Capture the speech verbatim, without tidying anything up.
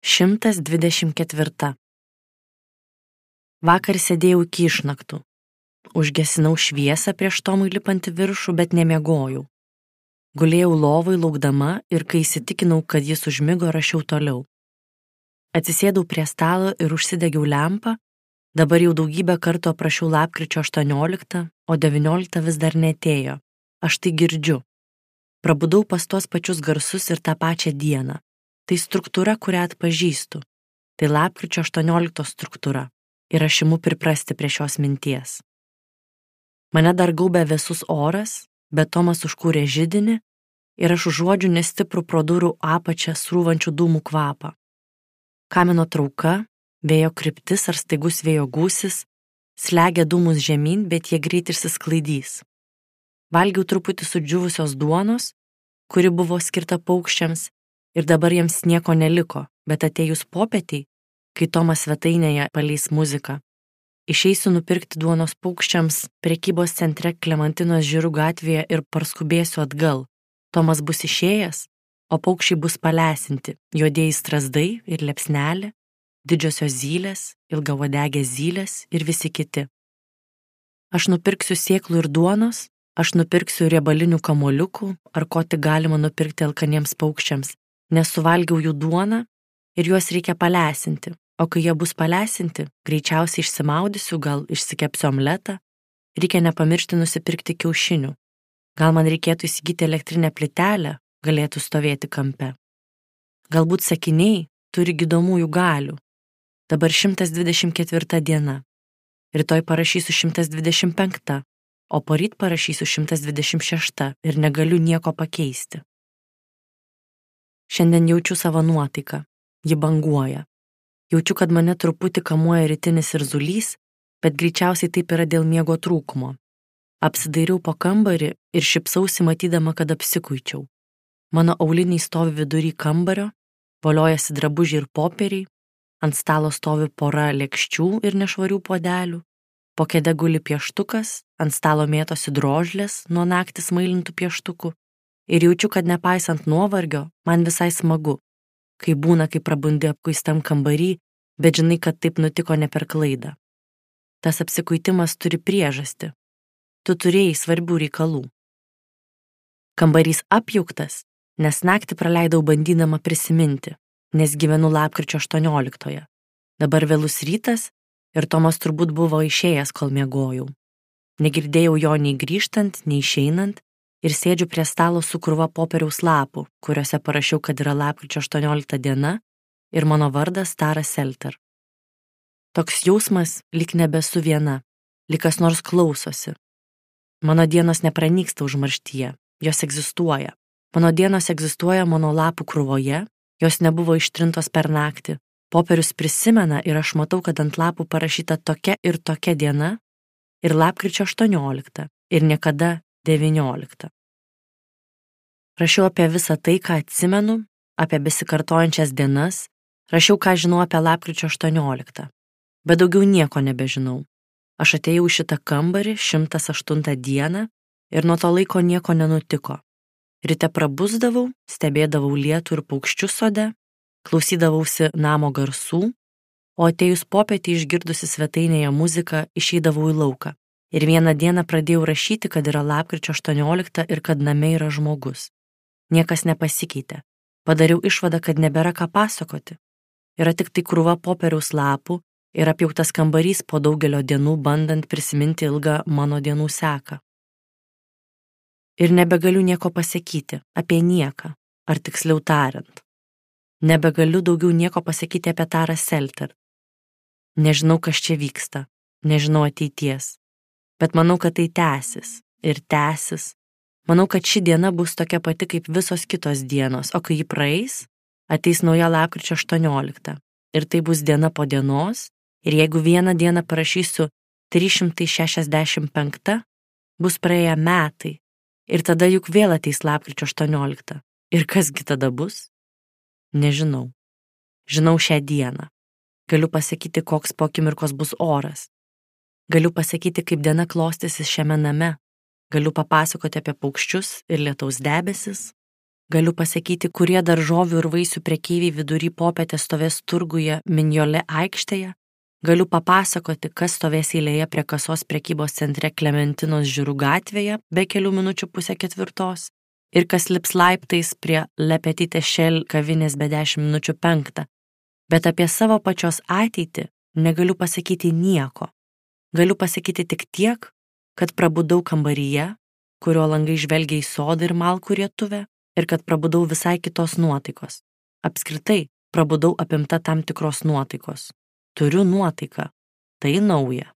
šimtas dvidešimt ketvirta. Vakar sėdėjau iki išnaktų. Užgesinau šviesą prieš Tomui lipant į viršų, bet nemiegojau. Gulėjau lovai laukdama ir kai įsitikinau, kad jis užmigo, rašiau toliau. Atsisėdau prie stalo ir užsidegiau lempą. Dabar jau daugybę kartų aprašiau lapkričio aštuonioliktą, o devynioliktą vis dar neatėjo. Aš tai girdžiu. Prabudau pas tuos pačius garsus ir tą pačią dieną. Tai struktūra, kurią atpažįstu. Tai lapkričio aštuonioliktos struktūra. Ir aš imu priprasti prie šios minties. Mane dar gaubė vėsus oras, bet Tomas užkūrė židinį ir aš užuodžiu nestiprų pro durų apačią srūvančių dūmų kvapą. Kamino trauka, vėjo kryptis ar staigus vėjo gūsis slegia dūmus žemyn, bet jie greit išsisklaidys. Valgiau truputį sudžiūvusios duonos, kuri buvo skirta paukščiams, ir dabar jiems nieko neliko, bet atėjus popietei, kai Tomas svetainėje paleis muziką, išeisiu nupirkti duonos paukščiams prekybos centre Klemantinos Žirų gatvėje ir parskubėsiu atgal. Tomas bus išėjęs, o paukščiai bus palesinti, juodieji strazdai ir liepsnelė, didžiosios zylės, ilgauodegės zylės ir visi kiti. Aš nupirksiu sėklų ir duonos, aš nupirksiu riebalinių kamuoliukų, ar ko tik galima nupirkti alkaniems paukščiams, nes suvalgiau jų duoną ir juos reikia palesinti, o kai jie bus palesinti, greičiausiai išsimaudysiu, gal išsikepsiu omletą, reikia nepamiršti nusipirkti kiaušinių. Gal man reikėtų įsigyti elektrinę plytelę, galėtų stovėti kampe. Galbūt sakiniai turi gydomųjų galių. Dabar šimtas dvidešimt ketvirta diena. Rytoj parašysiu šimtas dvidešimt penkta, o poryt parašysiu šimtas dvidešimt šešta ir negaliu nieko pakeisti. Šiandien jaučiu savo nuotaiką. Ji banguoja. Jaučiu, kad mane truputį kamuoja rytinis irzulys, bet greičiausiai taip yra dėl miego trūkumo. Apsidairiau po kambarį ir šipsausi matydama, kad apsikuičiau. Mano auliniai stovi vidury kambario, voliojasi drabužiai ir popieriai, ant stalo stovi pora lėkščių ir nešvarių puodelių, po kėde guli pieštukas, ant stalo mėtosi drožlės nuo naktį smailintų pieštukų ir jaučiu, kad nepaisant nuovargio, man visai smagu, kai būna, kai prabundi apkuistam kambarį, bet žinai, kad taip nutiko ne per klaidą. Tas apsikuitimas turi priežastį. Tu turėjai svarbių reikalų. Kambarys apjauktas, nes naktį praleidau bandydama prisiminti, nes gyvenu lapkričio aštuonioliktoje. Dabar vėlus rytas ir Tomas turbūt buvo išėjęs, kol miegojau. Negirdėjau jo nei grįžtant, nei išeinant ir sėdžiu prie stalo su krūva popieriaus lapų, kuriuose parašiau, kad yra lapkričio aštuoniolikta diena ir mano vardas Tara Selter. Toks jausmas, lyg nebesu viena, lyg kas nors klausosi. Mano dienos nepranyksta užmarštyje, jos egzistuoja. Mano dienos egzistuoja mano lapų krūvoje, jos nebuvo ištrintos per naktį. Popierius prisimena ir aš matau, kad ant lapų parašyta tokia ir tokia diena ir lapkričio aštuoniolikta ir niekada devyniolikta. Rašiau apie visą tai, ką atsimenu, apie besikartojančias dienas, rašiau, ką žinau apie lapkričio aštuonioliktą, bet daugiau nieko nebežinau. Aš atėjau į šitą kambarį šimtas aštuntą dieną ir nuo to laiko nieko nenutiko. Ryte prabusdavau, stebėdavau lietų ir paukščius sode, klausydavausi namo garsų, o atėjus popietį išgirdusi svetainėje muziką išeidavau į lauką. Ir vieną dieną pradėjau rašyti, kad yra lapkričio aštuoniolikta ir kad name yra žmogus. Niekas nepasikeitė. Padariau išvadą, kad nebėra ką pasakoti. Yra tik tai krūva popieriaus lapų ir apjauktas kambarys po daugelio dienų bandant prisiminti ilgą mano dienų seką. Ir nebegaliu nieko pasakyti apie nieką, ar tiksliau tariant. Nebegaliu daugiau nieko pasakyti apie Tarą Selter. Nežinau, kas čia vyksta, nežinau ateities, bet manau, kad tai tęsis ir tęsis. Manau, kad ši diena bus tokia pati kaip visos kitos dienos, o kai ji praeis, ateis nauja lapkričio aštuoniolikta. Ir tai bus diena po dienos, ir jeigu vieną dieną parašysiu trys šimtai šešiasdešimt penkta, bus praėję metai, ir tada juk vėl ateis lapkričio aštuoniolikta. Ir kasgi tada bus? Nežinau. Žinau šią dieną. Galiu pasakyti, koks po akimirkos bus oras. Galiu pasakyti, kaip diena klostysis šiame name. Galiu papasakoti apie paukščius ir lietaus debesis. Galiu pasakyti, kurie daržovių ir vaisių prekeiviai vidury popietės stovės turguje Minjole aikštėje. Galiu papasakoti, kas stovės eilėje prie kasos prekybos centre Klementinos Žirų gatvėje be kelių minučių pusę ketvirtos ir kas lips laiptais prie Le Petit Echelle kavinės be dešimt minučių penktą. Bet apie savo pačios ateitį negaliu pasakyti nieko. Galiu pasakyti tik tiek, kad prabudau kambaryje, kurio langai žvelgia į sodą ir malkų rietuvę, ir kad prabudau visai kitos nuotaikos. Apskritai, prabudau apimta tam tikros nuotaikos. Turiu nuotaiką. Tai nauja.